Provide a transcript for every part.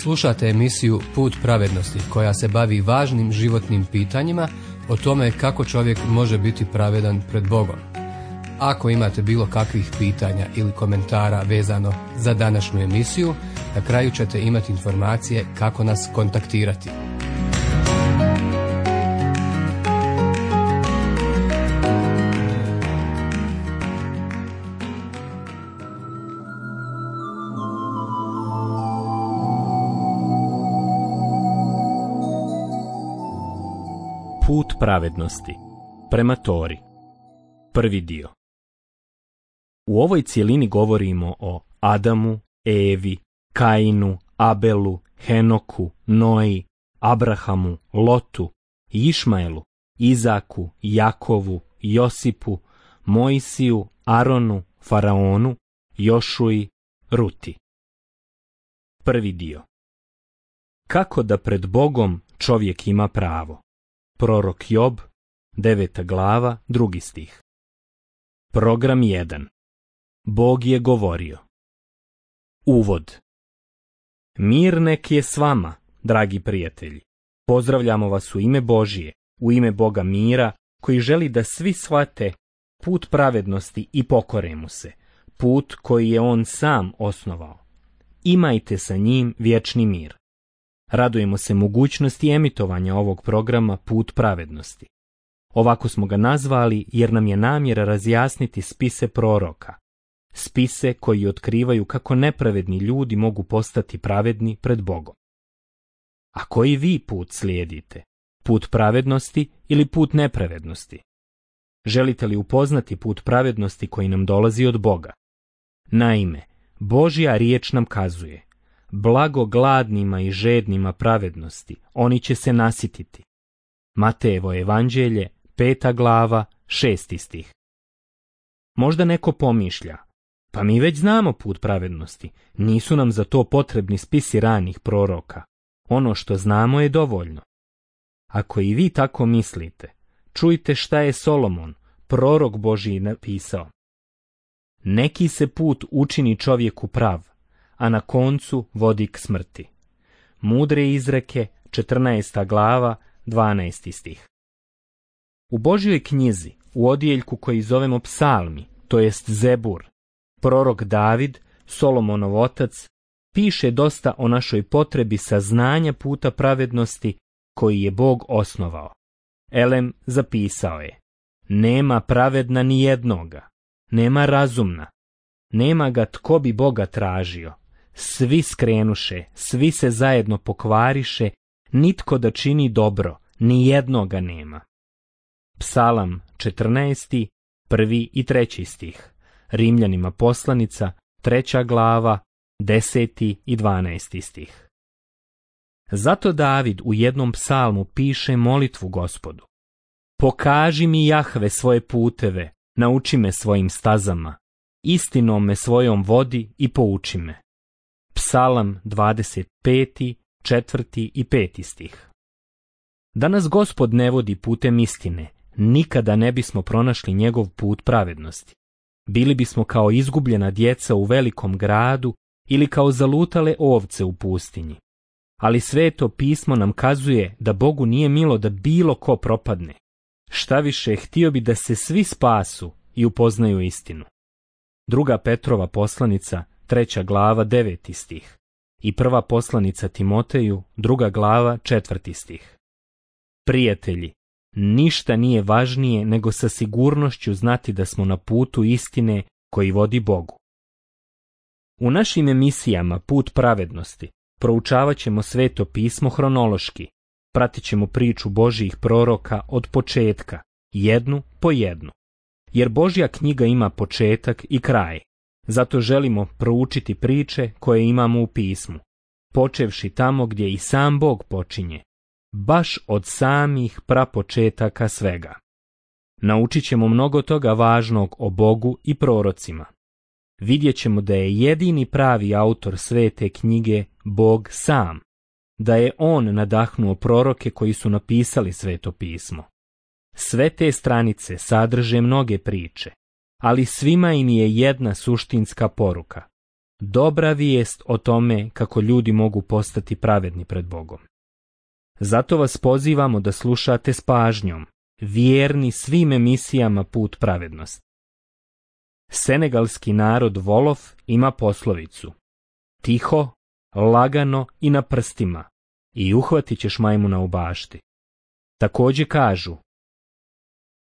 Slušate emisiju Put pravednosti koja se bavi važnim životnim pitanjima o tome kako čovjek može biti pravedan pred Bogom. Ako imate bilo kakvih pitanja ili komentara vezano za današnju emisiju, na kraju ćete imati informacije kako nas kontaktirati. Put pravednosti prema Tori. Prvi dio. U ovoj cjelini govorimo o Adamu, Evi, Kainu, Abelu, Henoku, Noji, Abrahamu, Lotu, Išmaelu, Izaku, Jakovu, Josipu, Mojsiju, Aronu, Faraonu, Jošuji, Ruti. Prvi dio. Kako da pred Bogom čovjek ima pravo? Prorok Job, 9. glava, 2. stih. Program 1. Bog je govorio. Uvod. Mir nek je s vama, dragi prijatelji. Pozdravljamo vas u ime Božije, u ime Boga mira, koji želi da svi shvate put pravednosti i pokore mu se, put koji je on sam osnovao. Imajte sa njim vječni mir. Radujemo se mogućnosti emitovanja ovog programa Put pravednosti. Ovako smo ga nazvali jer nam je namjera razjasniti spise proroka. Spise koji otkrivaju kako nepravedni ljudi mogu postati pravedni pred Bogom. A koji vi put slijedite? Put pravednosti ili put nepravednosti? Želite li upoznati put pravednosti koji nam dolazi od Boga? Naime, Božja riječ nam kazuje: blago gladnima i žednima pravednosti, oni će se nasititi. Matejevo evanđelje, 5. glava, 6. stih. Možda neko pomišlja: pa mi već znamo put pravednosti, nisu nam za to potrebni spisi ranih proroka. Ono što znamo je dovoljno. Ako i vi tako mislite, čujte šta je Solomon, prorok Božji, napisao. Neki se put učini čovjeku prav, a na koncu vodi k smrti. Mudre izreke, 14. glava, 12. stih. U Božjoj knjizi, u odjeljku koji zovemo Psalmi, to jest Zebur, prorok David, Solomonov otac, piše dosta o našoj potrebi saznanja puta pravednosti koji je Bog osnovao. Elem zapisao je: nema pravedna ni jednoga, nema razumna, nema ga tko bi Boga tražio. Svi skrenuše, svi se zajedno pokvariše, nitko da čini dobro, ni jednoga nema. Psalam 14. 1. i 3. stih. Rimljanima poslanica, 3. glava, 10. i 12. stih. Zato David u jednom psalmu piše molitvu Gospodu: pokaži mi, Jahve, svoje puteve, nauči me svojim stazama, istinom me svojom vodi i pouči me. Psalam 25., 4. i 5. stih. Da nas Gospod ne vodi putem istine, nikada ne bismo pronašli njegov put pravednosti. Bili bismo kao izgubljena djeca u velikom gradu ili kao zalutale ovce u pustinji. Ali Sveto pismo nam kazuje da Bogu nije milo da bilo ko propadne. Štaviše, htio bi da se svi spasu i upoznaju istinu. 2. Petrova poslanica, 3. glava, 9. stih. I 1. poslanica Timoteju, 2. glava, 4. stih. Prijatelji, ništa nije važnije nego sa sigurnošću znati da smo na putu istine koji vodi Bogu. U našim emisijama Put pravednosti proučavat ćemo Sveto pismo hronološki, pratit ćemo priču Božjih proroka od početka, jednu po jednu. Jer Božja knjiga ima početak i kraj, zato želimo proučiti priče koje imamo u pismu, počevši tamo gdje i sam Bog počinje, baš od samih prapočetaka svega. Naučit ćemo mnogo toga važnog o Bogu i prorocima. Vidjet ćemo da je jedini pravi autor Svete knjige Bog sam, da je on nadahnuo proroke koji su napisali Sveto pismo. Sve te stranice sadrže mnoge priče, ali svima im je jedna suštinska poruka. dobra vijest o tome kako ljudi mogu postati pravedni pred Bogom. Zato vas pozivamo da slušate s pažnjom, vjerni svim emisijama Put pravednosti. Senegalski narod Wolof ima poslovicu: tiho, lagano i na prstima, i uhvatit ćeš majmuna u bašti. Također kažu: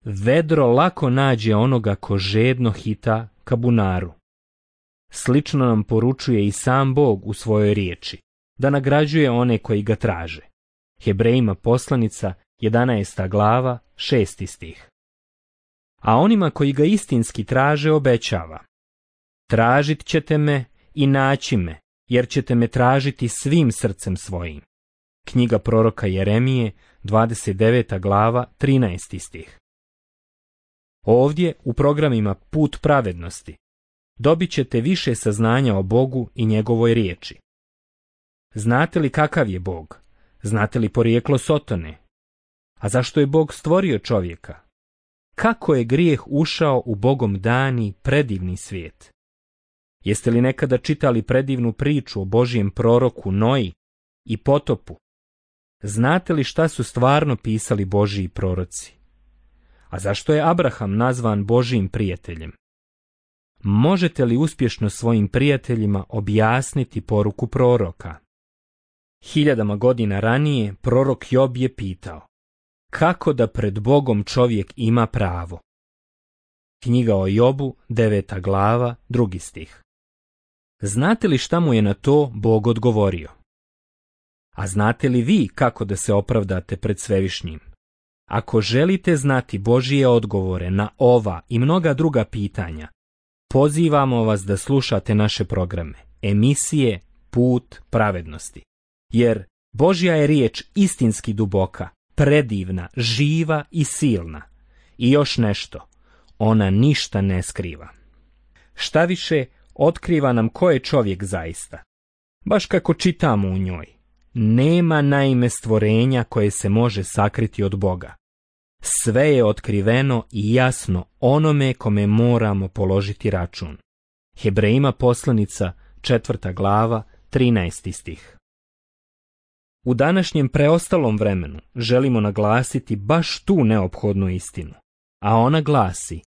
vedro lako nađe onoga ko žedno hita ka bunaru. Slično nam poručuje i sam Bog u svojoj riječi, da nagrađuje one koji ga traže. Hebrejima poslanica, 11. glava, 6. stih. A onima koji ga istinski traže obećava: tražit ćete me i naći me, jer ćete me tražiti svim srcem svojim. Knjiga proroka Jeremije, 29. glava, 13. stih. Ovdje, u programima Put pravednosti, dobit ćete više saznanja o Bogu i njegovoj riječi. Znate li kakav je Bog? Znate li porijeklo Sotone? A zašto je Bog stvorio čovjeka? Kako je grijeh ušao u Bogom dani predivni svijet? Jeste li nekada čitali predivnu priču o Božijem proroku Noji i potopu? Znate li šta su stvarno pisali Božiji proroci? A zašto je Abraham nazvan Božijim prijateljem? Možete li uspješno svojim prijateljima objasniti poruku proroka? 1000 godina ranije prorok Job je pitao: kako da pred Bogom čovjek ima pravo? Knjiga o Jobu, 9. glava, 2. stih. Znate li šta mu je na to Bog odgovorio? A znate li vi kako da se opravdate pred Svevišnjim? Ako želite znati Božije odgovore na ova i mnoga druga pitanja, pozivamo vas da slušate naše programe, emisije Put pravednosti. Jer Božja je riječ istinski duboka, predivna, živa i silna. I još nešto, ona ništa ne skriva. Šta više, otkriva nam ko je čovjek zaista. Baš kako čitamo u njoj. Nema naime stvorenja koje se može sakriti od Boga. Sve je otkriveno i jasno onome kome moramo položiti račun. Hebrejima poslanica, 4. glava, 13. stih. U današnjem preostalom vremenu želimo naglasiti baš tu neophodnu istinu, a ona glasi: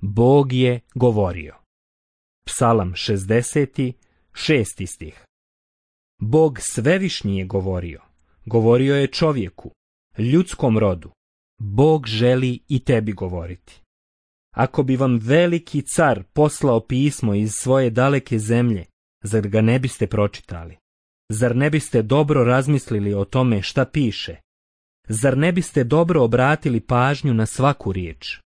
Bog je govorio. Psalam 60. 6. stih. Bog svevišnji je govorio. Govorio je čovjeku, ljudskom rodu. Bog želi i tebi govoriti. Ako bi vam veliki car poslao pismo iz svoje daleke zemlje, zar ga ne biste pročitali? Zar ne biste dobro razmislili o tome šta piše? Zar ne biste dobro obratili pažnju na svaku riječ?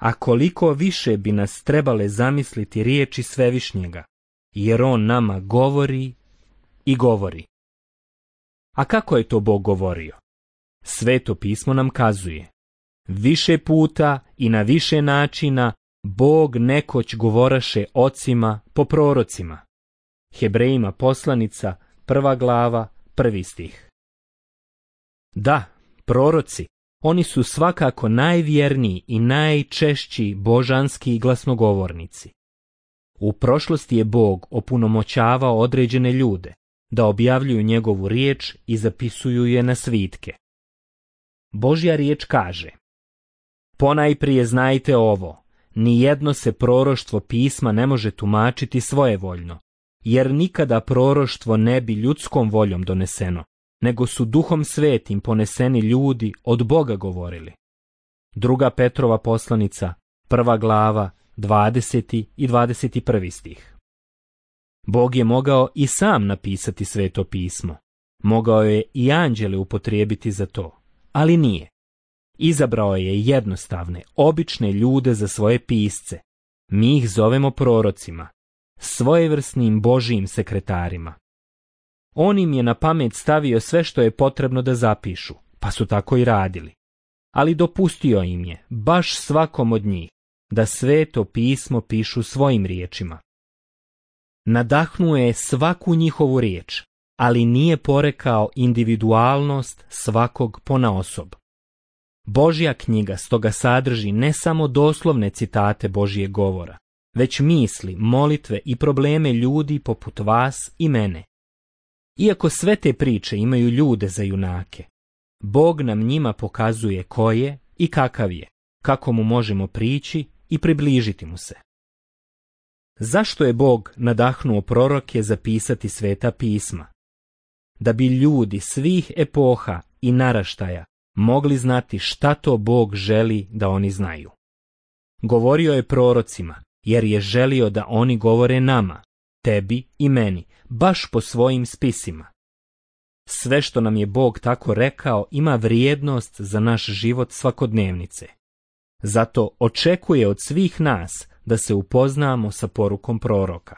A koliko više bi nas trebale zamisliti riječi Svevišnjega, jer on nama govori i govori. A kako je to Bog govorio? Sveto pismo nam kazuje: više puta i na više načina Bog nekoć govoraše ocima po prorocima. Hebrejima poslanica, 1. glava, 1. stih. Da, proroci, oni su svakako najvjerniji i najčešći božanski glasnogovornici. U prošlosti je Bog opunomoćavao određene ljude da objavljuju njegovu riječ i zapisuju je na svitke. Božja riječ kaže: ponajprije znajte ovo, nijedno se proroštvo pisma ne može tumačiti svojevoljno, jer nikada proroštvo ne bi ljudskom voljom doneseno, nego su Duhom Svetim poneseni ljudi od Boga govorili. 2. Petrova poslanica, 1. glava, 20. i 21. stih. Bog je mogao i sam napisati Sveto pismo. Mogao je i anđele upotrijebiti za to, ali nije. Izabrao je jednostavne, obične ljude za svoje pisce. Mi ih zovemo prorocima, svojevrsnim Božijim sekretarima. On im je na pamet stavio sve što je potrebno da zapišu, pa su tako i radili. Ali dopustio im je, baš svakom od njih, da Sveto pismo pišu svojim riječima. Nadahnuo je svaku njihovu riječ, ali nije porekao individualnost svakog ponaosob. Božja knjiga stoga sadrži ne samo doslovne citate Božijeg govora, već misli, molitve i probleme ljudi poput vas i mene. Iako sve te priče imaju ljude za junake, Bog nam njima pokazuje ko je i kakav je, kako mu možemo prići i približiti mu se. Zašto je Bog nadahnuo proroke zapisati sveta pisma? Da bi ljudi svih epoha i naraštaja mogli znati šta to Bog želi da oni znaju. Govorio je prorocima, jer je želio da oni govore nama, tebi i meni, baš po svojim spisima. Sve što nam je Bog tako rekao ima vrijednost za naš život svakodnevnice. Zato očekuje od svih nas da se upoznamo sa porukom proroka.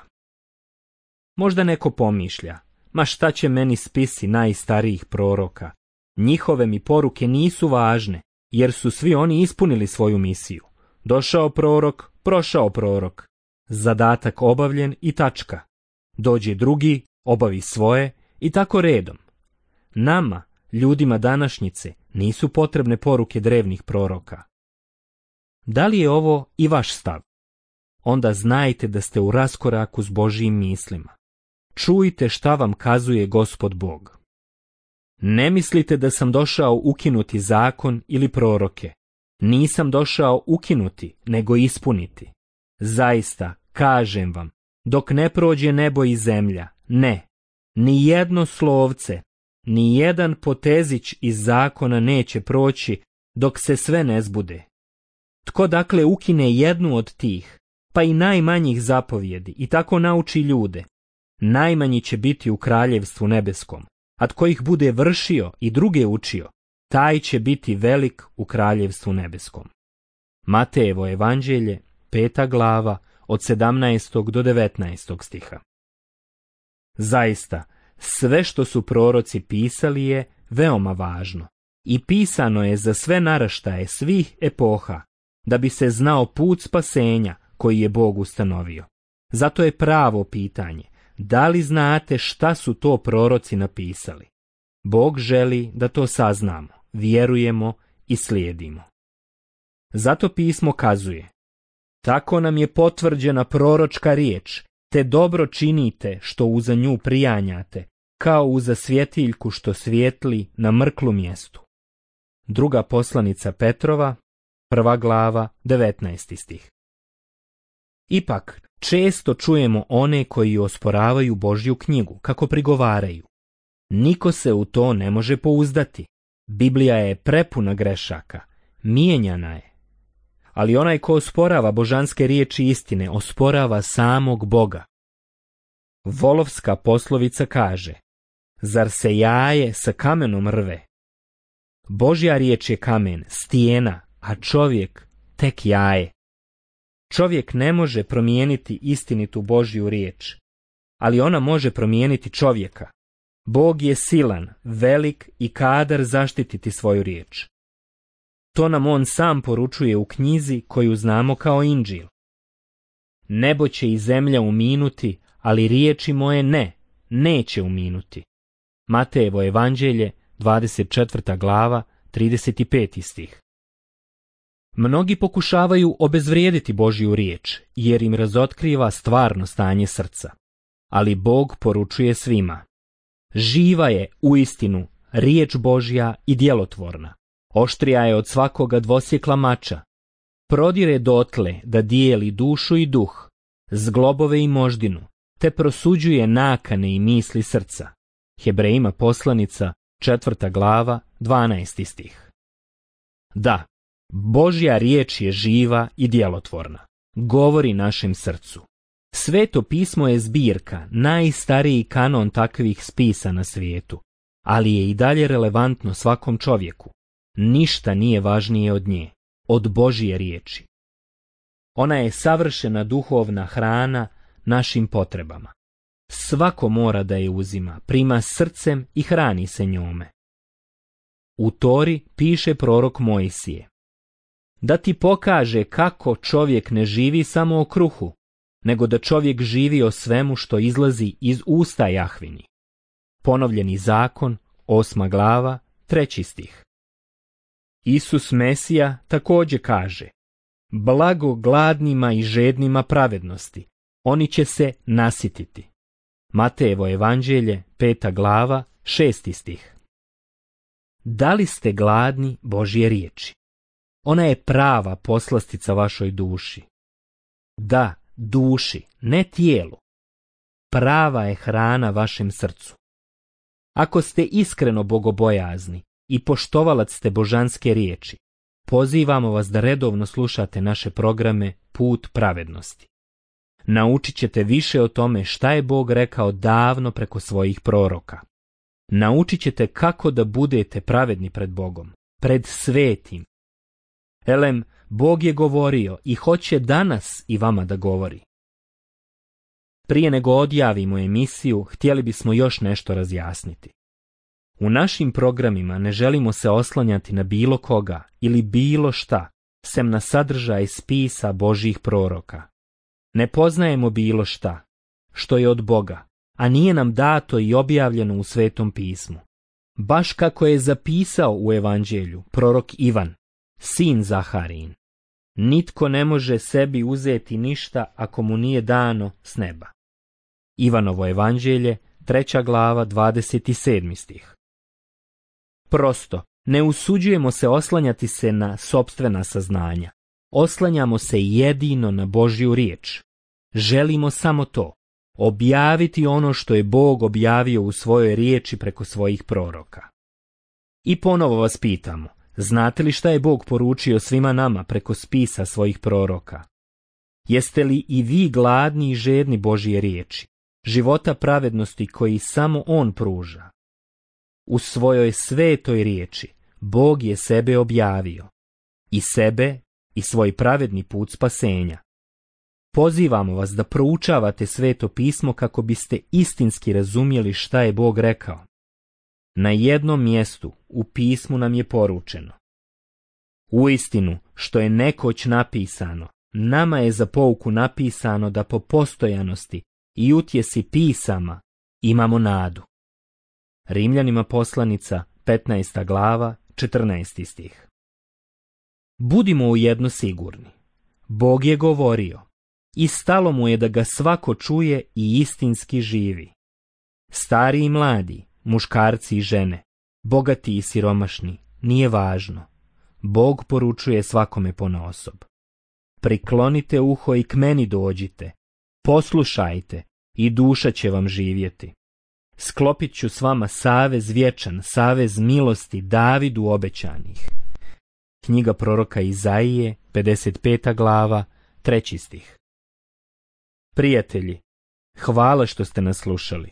Možda neko pomišlja, ma šta će meni spisi najstarijih proroka? Njihove mi poruke nisu važne, jer su svi oni ispunili svoju misiju. Došao prorok, prošao prorok. Zadatak obavljen i tačka. Dođe drugi, obavi svoje i tako redom. Nama, ljudima današnjice, nisu potrebne poruke drevnih proroka. Da li je ovo i vaš stav? Onda znajte da ste u raskoraku s Božjim mislima. Čujte šta vam kazuje Gospod Bog. Ne mislite da sam došao ukinuti zakon ili proroke. Nisam došao ukinuti, nego ispuniti. Zaista, kažem vam, dok ne prođe nebo i zemlja, ne, ni jedno slovce, ni jedan potezić iz zakona neće proći dok se sve ne zbude. Tko dakle ukine jednu od tih, pa i najmanjih zapovjedi i tako nauči ljude, najmanji će biti u kraljevstvu nebeskom, a tko ih bude vršio i druge učio, taj će biti velik u kraljevstvu nebeskom. Matejevo evanđelje, 5. glava, od 17. do 19. stiha. Zaista, sve što su proroci pisali je veoma važno i pisano je za sve naraštaje svih epoha, da bi se znao put spasenja koji je Bog ustanovio. Zato je pravo pitanje, da li znate šta su to proroci napisali? Bog želi da to saznamo, vjerujemo i slijedimo. Zato pismo kazuje, tako nam je potvrđena proročka riječ, te dobro činite što uza nju prijanjate, kao uza svjetiljku što svijetli na mrklu mjestu. Druga poslanica Petrova, 1. glava, 19. stih. Ipak, često čujemo one koji osporavaju Božju knjigu, kako prigovaraju. Niko se u to ne može pouzdati. Biblija je prepuna grešaka, mijenjana je. Ali onaj ko osporava božanske riječi istine, osporava samog Boga. Volovska poslovica kaže, zar se jaje sa kamenom rve? Božja riječ je kamen, stijena, a čovjek tek jaje. Čovjek ne može promijeniti istinitu Božju riječ, ali ona može promijeniti čovjeka. Bog je silan, velik i kadar zaštititi svoju riječ. To nam on sam poručuje u knjizi koju znamo kao Inđil. Nebo će i zemlja uminuti, ali riječi moje neće uminuti. Matejevo evanđelje, 24. glava, 35. stih. Mnogi pokušavaju obezvrijediti Božju riječ, jer im razotkriva stvarno stanje srca. Ali Bog poručuje svima. Živa je, uistinu, riječ Božja i djelotvorna. Oštrija je od svakoga dvosjekla mača. Prodire dotle da dijeli dušu i duh, zglobove i moždinu, te prosuđuje nakane i misli srca. Hebrejima poslanica, 4. glava, 12. stih. Da, Božja riječ je živa i djelotvorna. Govori našem srcu. Sveto pismo je zbirka, najstariji kanon takvih spisa na svijetu, ali je i dalje relevantno svakom čovjeku. Ništa nije važnije od nje, od Božje riječi. Ona je savršena duhovna hrana našim potrebama. Svako mora da je uzima, prima srcem i hrani se njome. U Tori piše prorok Mojsije, da ti pokaže kako čovjek ne živi samo o kruhu, nego da čovjek živi o svemu što izlazi iz usta Jahvini. Ponovljeni zakon, 8. glava, 3. stih. Isus Mesija također kaže, Blago gladnima i žednima pravednosti, oni će se nasititi. Matejevo evanđelje, 5. glava, 6. stih. Da li ste gladni Božje riječi? Ona je prava poslastica vašoj duši. Da, duši, ne tijelu. Prava je hrana vašem srcu. Ako ste iskreno bogobojazni i poštovalac ste božanske riječi, pozivamo vas da redovno slušate naše programe Put pravednosti. Naučit ćete više o tome šta je Bog rekao davno preko svojih proroka. Naučit ćete kako da budete pravedni pred Bogom, pred svetim. Elem, Bog je govorio i hoće danas i vama da govori. Prije nego odjavimo emisiju, htjeli bismo još nešto razjasniti. U našim programima ne želimo se oslanjati na bilo koga ili bilo šta, sem na sadržaj spisa Božjih proroka. Ne poznajemo bilo šta, što je od Boga, a nije nam dato i objavljeno u Svetom pismu. Baš kako je zapisao u Evanđelju prorok Ivan, sin Zaharijin. Nitko ne može sebi uzeti ništa ako mu nije dano s neba. Ivanovo evanđelje, 3. glava, 27. stih. Prosto, ne usuđujemo se oslanjati se na sopstvena saznanja. Oslanjamo se jedino na Božju riječ. Želimo samo to, objaviti ono što je Bog objavio u svojoj riječi preko svojih proroka. I ponovo vas pitamo, znate li šta je Bog poručio svima nama preko spisa svojih proroka? Jeste li i vi gladni i žedni Božje riječi, života pravednosti koji samo On pruža? U svojoj svetoj riječi Bog je sebe objavio, i sebe i svoj pravedni put spasenja. Pozivamo vas da proučavate Sveto pismo kako biste istinski razumjeli šta je Bog rekao. Na jednom mjestu u pismu nam je poručeno: uistinu, što je nekoć napisano, nama je za pouku napisano da po postojanosti i utjesi pisama imamo nadu. Rimljanima poslanica, 15. glava, 14. stih. Budimo ujedno sigurni. Bog je govorio i stalo mu je da ga svako čuje i istinski živi. Stari i mladi, muškarci i žene, bogati i siromašni, nije važno. Bog poručuje svakome ponaosob. Priklonite uho i k meni dođite, poslušajte i duša će vam živjeti. Sklopit ću s vama savez vječan, savez milosti Davidu obećanih. Knjiga proroka Izaije, 55. glava, 3. stih. Prijatelji, hvala što ste nas slušali.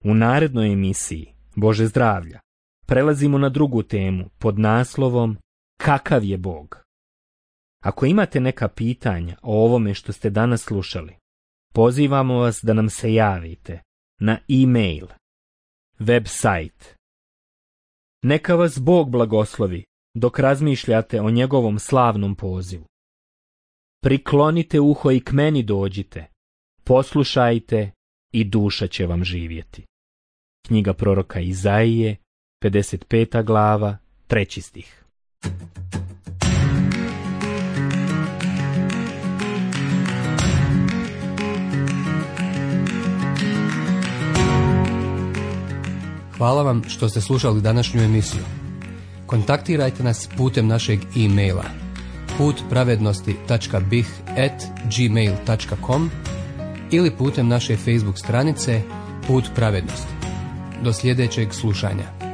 U narednoj emisiji, Bože zdravlja, prelazimo na drugu temu pod naslovom Kakav je Bog? Ako imate neka pitanja o ovome što ste danas slušali, pozivamo vas da nam se javite na e-mail, website. Neka vas Bog blagoslovi dok razmišljate o njegovom slavnom pozivu. Priklonite uho i k meni dođite, poslušajte i duša će vam živjeti. Knjiga proroka Izaije, 55. glava, 3. stih. Hvala vam što ste slušali današnju emisiju. Kontaktirajte nas putem našeg e-maila putpravednosti.bih@gmail.com ili putem naše Facebook stranice Put pravednosti. Do sljedećeg slušanja.